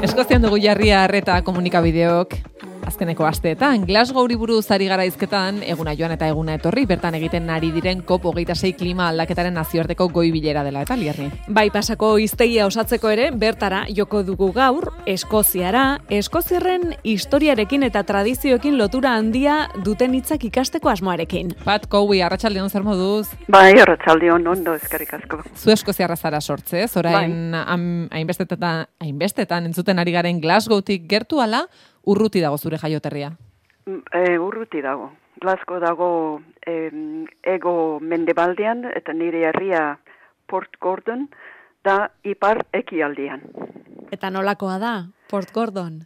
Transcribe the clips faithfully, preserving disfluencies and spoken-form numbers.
Eskozian dugu jarria arreta komunikabideok. Azkeneko asteetan, Glasgowri buruz ari gara hizketan, eguna joan eta eguna etorri, bertan egiten ari diren COP hogeita sei klima aldaketaren nazioarteko goi bilera dela eta Lierni. Bai, pasako hiztegia osatzeko ere, bertara joko dugu gaur, Eskoziara, Eskoziarren historiarekin eta tradizioekin lotura handia duten hitzak ikasteko asmoarekin. Pat Cowie, arratsaldeon zer moduz? Bai, arratsaldeon ondo, eskerrik asko. Zu Eskoziarra zara sortzez, orain bai. hainbestetan, hainbestetan entzuten ari garen Glasgowtik gertu ala, urruti dago zure jaioterria? E, urruti dago. Glasgow dago e, ego mendebaldean eta nire herria Port Gordon da ipar ekialdean. Eta nolakoa da, Port Gordon?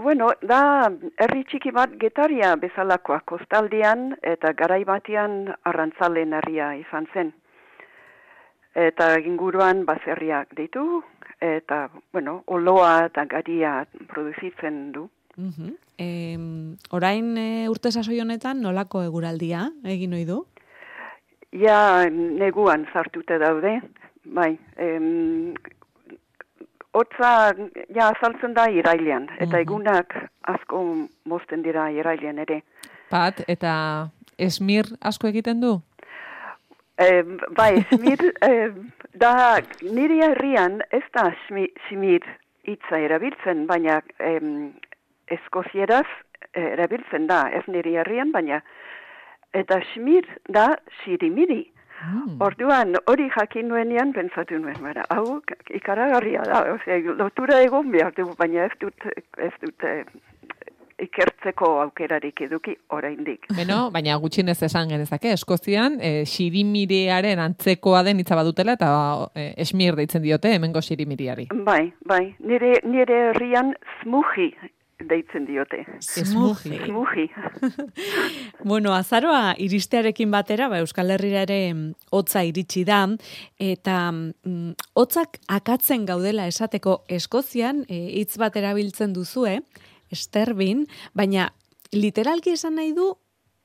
Bueno, da herri txiki bat Getaria bezalakoa kostaldean eta garai batean arrantzalen herria izan zen. Eta inguruan baserriak ditu eta, bueno, oloa eta garia produzitzen du. Uh-huh. E, orain e, urte sasoi honetan nolako eguraldia egin ohi du? Ja, neguan sartute daude, bai. Em, Otza, ja, azaltzen da irailean, eta uh-huh. egunak asko mozten dira irailean ere. Pat, eta esmir asko egiten du? E, bai, esmir, e, da nire herrian ez da esmir hitza erabiltzen, baina em, Eskozieraz erabiltzen da, ez niri herrian, baina eta smir da sirimiri. Mm. Orduan, hori jakin nuenean, pentsatu nuen, bera, hau ikaragarria da, osea, lotura egon behar du, baina ez dut, ez dut eh, ikertzeko aukerarik eduki oraindik. Beno, baina gutxinez esan genezake, Eskozian, eh, sirimiriaren antzekoa den hitza badutela, eta eh, esmir deitzen diote, hemengo sirimiriari. Bai, bai, nire, nire herrian smuji deitzen diote. Smuji. Smuji. Bueno, azaroa iristearekin batera, ba, Euskal Herrira ere hotza iritsi da, eta mm, hotzak akatzen gaudela esateko Eskozian, hitz bat erabiltzen duzue, esterbin, baina literalki esan nahi du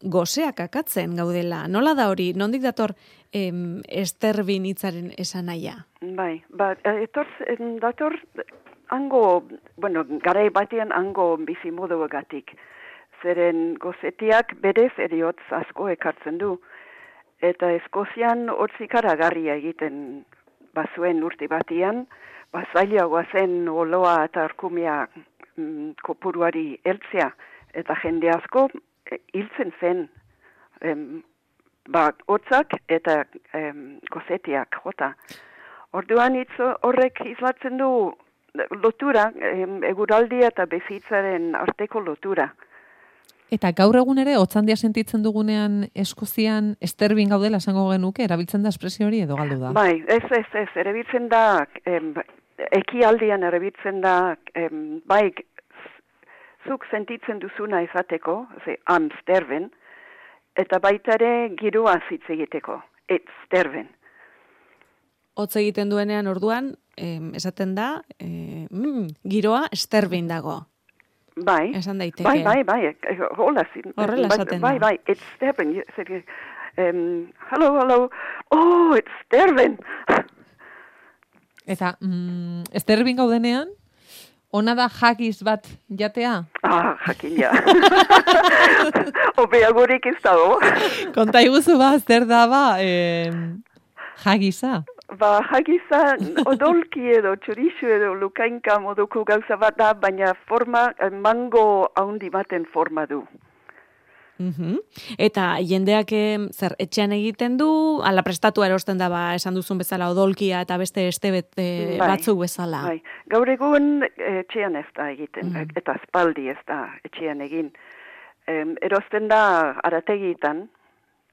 goseak akatzen gaudela. Nola da hori? Nondik dator em, esterbin hitzaren esan nahia? Bai, ba, etor, dator hango, bueno, garai batean hango bizimoduagatik. Zeren gozetiak berez eriotz asko ekartzen du. Eta Eskozian hotz ikaragarria egiten bazuen urte batean, bazailagoa zen oloa eta arkumia mm, kopuruari heltzea. Eta jende asko hiltzen zen em, ba, hotzak eta em, gozetiak jota. Orduan hitz horrek islatzen du lotura, eguraldia eta bizitzaren arteko lotura. Eta gaur egun ere, hotzandia sentitzen dugunean Eskozian esterbin gaudela esango genuke, erabiltzen da espresio hori edo galdu da? Bai, ez, ez, ez, erabiltzen da, em, ekialdean erabiltzen da, em, bai, zuk sentitzen duzuna izateko, ze, am sterben, eta baita ere giroa hitz egiteko, et sterben. Hotz egiten duenean orduan, eh, esaten da, eh, mm, giroa esterbin dago. Bai, esan daiteke. Bai, bai, bai, hola zin. Horrela esaten bai, da. Bai, bai, it's sterben. Um, hello, hello, oh, it's sterben. Eta, mm, esterbin gaudenean, ona da jakiz bat jatea? Ah, jakin ja. Obeagorik ez dago. Konta iguzu ba, zer da ba, eh, jakiza? Ba, jakiza odolki edo txorixu edo lukainka moduko gauza bat da, baina forma, mango haundi baten forma du. Uhum. Eta jendeak zer etxean egiten du, ala prestatua erosten da, ba, esan duzun bezala odolkia eta beste estebet e, bai, batzuk bezala. Bai. Gaur egun etxean ez da egiten, mm. eta espaldi ez da etxean egin. Em, erosten da arategitan,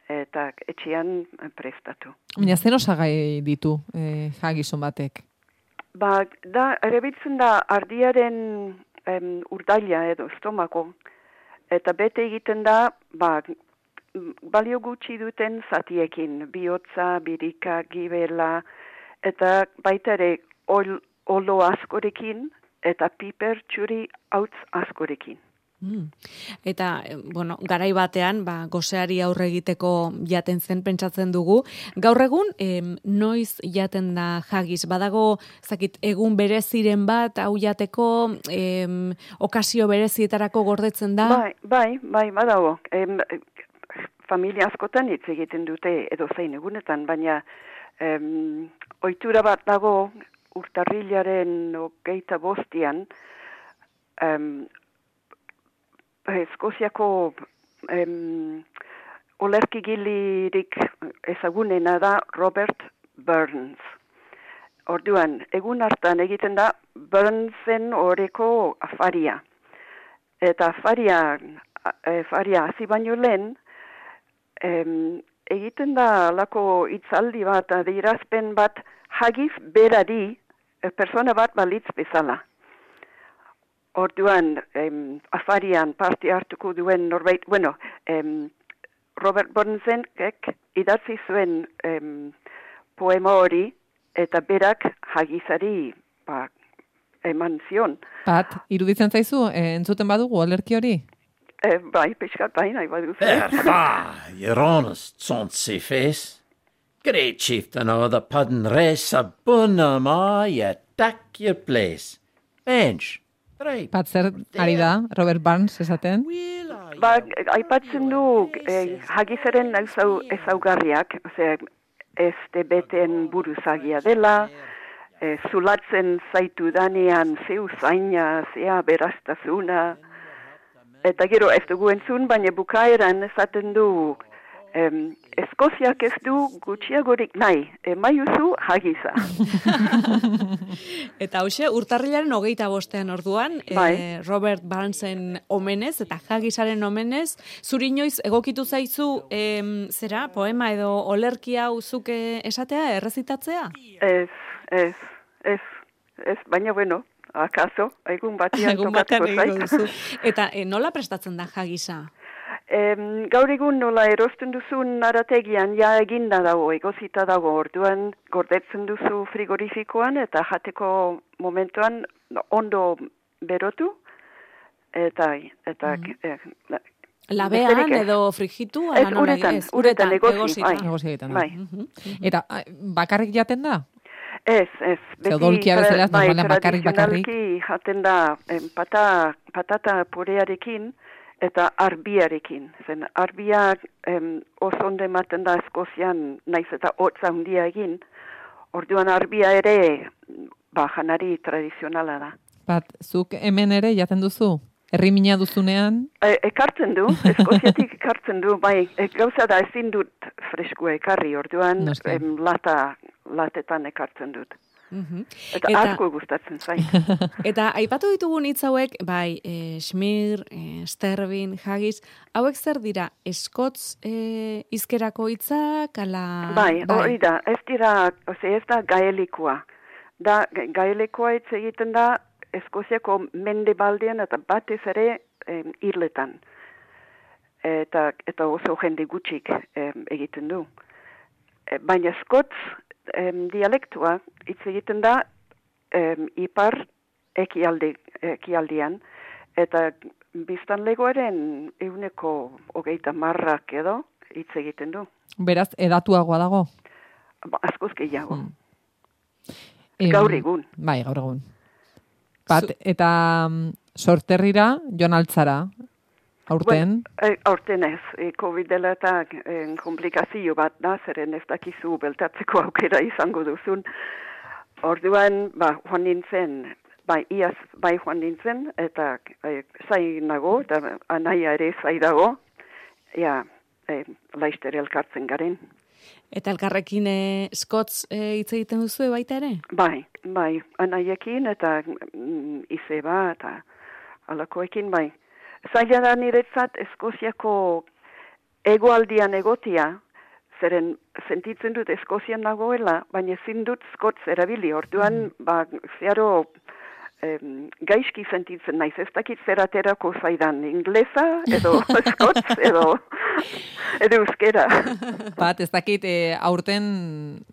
eta etxean prestatu. Baina zer osagai ditu eh, jagizon batek? Ba, da, erabiltzen da ardiaren em, urdaila edo estomako, eta bete egiten da, ba, balio gutxi duten zatiekin, bihotza, birika, gibela, eta baita ere ol, olo askorekin, eta piper txuri hautz askorekin. Mm. Eta, bueno, garai batean, ba, goseari aurre egiteko jaten zen pentsatzen dugu. Gaur egun, em, noiz jaten da haggis? Badago, zakit, egun bereziren bat, hau jateko, em, okazio berezietarako gordetzen da? Bai, bai, bai, badago. Em, familia askotan hitz egiten dute edo zein egunetan, baina em, ohitura bat dago urtarrilaren hogeita bostian, em, Eskoziako em, olerkigilirik ezagunena da Robert Burns. Orduan, egun hartan egiten da Burnsen oreko afaria. Eta afaria, afaria hasi baino lehen, em, egiten da lako hitzaldi bat, adierazpen bat, hagiz berari, persona bat balitz bezala. Orduan, em, afarian parte hartuko duen norbait, bueno, em, Robert Burnsenek idatzi zuen em, poema hori, eta berak hagizari ba, eman zion. Pat, iruditzen zaizu, eh, entzuten badugu olerki hori? E, bai, pixkat bai, nahi baduzu. Erfa, your honest, tsonsi face. Great chieftain o the pudden race, a bunna ma, ye tack your place. Bench. Pat, zer ari da, Robert Burns esaten? Ba, aipatzen du eh, hagizaren ezau, ezaugarriak, ose, ez beten buruzagia dela, eh, zulatzen zaitu danean zeu zaina, zea beraztazuna, eta gero ez dugu entzun, baina bukaeran esaten du, em, Eskoziak ez du gutxiagorik nahi, emaiuzu hagiza. Eta hoxe, urtarrilaren hogeita bostean orduan, Bai. eh, Robert Burnsen omenez eta hagisaren omenez, zuri inoiz egokitu zaizu em, zera, poema edo olerki hau zuke esatea, errezitatzea? Ez, ez, ez, ez, baina bueno, akaso, egun batian Egun batean tokatuko egingo zait. duzu. Eta eh, nola prestatzen da hagisa? Em, gaur egun nola erosten duzun narategian ja eginda dago, egozita dago, orduan gordetzen duzu frigorifikoan eta jateko momentuan ondo berotu, eta, eta eh, Labean besterik ez. edo frigitu? Ez, ala nola uretan, ez? uretan, egosi, egosita. bai. Negozi egiten da. Bai. Mhm. Eta ah, bakarrik jaten da? Ez, ez. Ze odolkia bezala, bai, normalean bakarrik, bakarrik. tradizionalki jaten da em, pata, patata purearekin eta arbiarekin. Zen arbiak em, oso ondo ematen da Eskozian naiz eta hotza handia egin. Orduan arbia ere ba, janari tradizionala da. Pat, zuk hemen ere jaten duzu? Herrimina duzunean? E, ekartzen du, Eskoziatik ekartzen du, bai, e, gauza da ezin dut freskua ekarri, orduan Noski. em, lata, latetan ekartzen dut. Mhm. Eta, Eta- asko gustatzen zait. Eta aipatu ditugun hitz hauek, bai, e, Schmir, e, Stervin, Haggis, hauek zer dira, eskotz e, izkerako hitzak, ala... Bai, hori da, ez dira, ose, ez da gaelikoa. Da, ga- gaelikoa hitz egiten da Eskoziako mendebaldean eta batez ere em, irletan. Eta, eta oso jende gutxik em, egiten du. E, baina eskotz em, dialektua hitz egiten da em, ipar ekialde, ekialdean, eta biztanlegoaren ehuneko hogeita marrak edo hitz egiten du. Beraz, edatuagoa dago? Ba, askoz gehiago. Mm. Em, Gaur egun. Bai, gaur egun. Pat, eta mm, sorterrira joan altzara, aurten? Bueno, e, aurten ez, e, COVID dela eta e, komplikazio bat da, zeren ez dakizu beltatzeko aukera izango duzun. Orduan, ba, joan nintzen, bai, iaz, bai joan nintzen, eta e, zai nago, eta anaia ere zai dago, ja, e, laizter elkartzen garen. Eta elkarrekin e, skotz e, hitz egiten duzu baita ere? Bai, bai, anaiekin eta mm, izeba eta alakoekin, bai. Zaila da niretzat Eskoziako egoaldian egotia, zeren sentitzen dut Eskozian nagoela, baina ezin dut skotz erabili. Orduan, ba, zeharo em, gaizki sentitzen naiz, ez dakit zer aterako zaidan, inglesa, edo eskotz, edo, edo euskera. Bat, ez dakit, e, aurten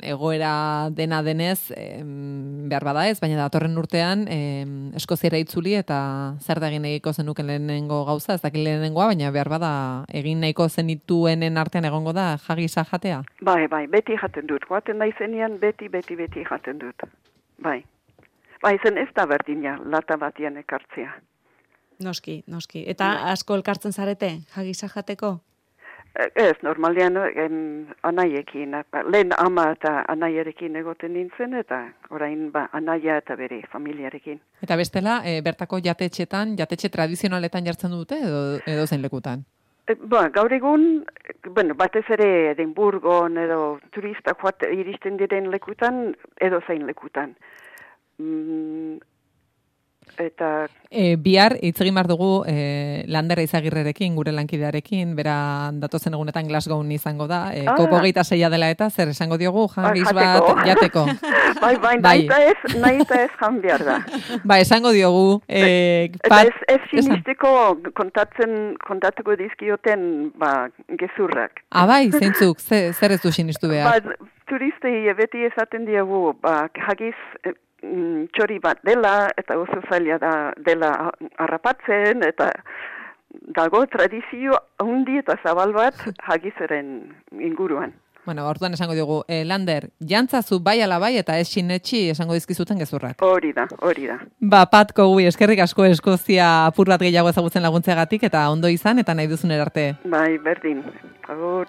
egoera dena denez, em, behar bada ez, baina datorren urtean em, Eskoziara itzuli eta zer da egin egiko zenuken lehenengo gauza, ez dakit lehenengoa, baina behar bada egin nahiko zenituenen artean egongo da jagisa jatea? Bai, bai, beti jaten dut, joaten naizenean beti, beti, beti jaten dut. Bai. Bai, zen ez da berdina, lata batian ekartzea. Noski, noski. Eta asko elkartzen zarete, jagisa jateko? Ez, normalean em, anaiekin, lehen ama eta anaierekin egoten nintzen, eta orain ba, anaia eta bere familiarekin. Eta bestela, e, bertako jatetxetan, jatetxe tradizionaletan jartzen dute edo, edo zein lekutan? E, ba, gaur egun, bueno, batez ere Edinburgon edo turista joat iristen diren lekutan, edo zein lekutan. Mm, eta... E, bihar, hitz egin behar dugu e, Landera Izagirrerekin, gure lankidearekin, bera datozen egunetan Glasgown izango da, e, Ah. kopo geita seia dela eta, zer esango diogu, jagis Ah, bat jateko. bai, bai, Bai. nahi eta ez, nahi eta ez jan behar da. Ba, esango diogu, e, Eta pat, ez, ez esan. sinisteko kontatzen, kontatuko dizkioten, ba, gezurrak. Ah, bai, zeintzuk, ze, zer ez du sinistu behar? Ba, turistei beti esaten diegu, ba, jagiz eh, mm, txori bat dela, eta oso zaila da dela harrapatzen, eta dago tradizio handi eta zabal bat jagizaren inguruan. Bueno, orduan esango diogu, e, Lander, jantzazu bai ala bai eta ez sinetxi esango dizkizuten gezurrak. Hori da, hori da. Ba, Pat Cowie, eskerrik asko Eskozia apur bat gehiago ezagutzen laguntzeagatik eta ondo izan eta nahi duzun erarte. Bai, berdin. Agur.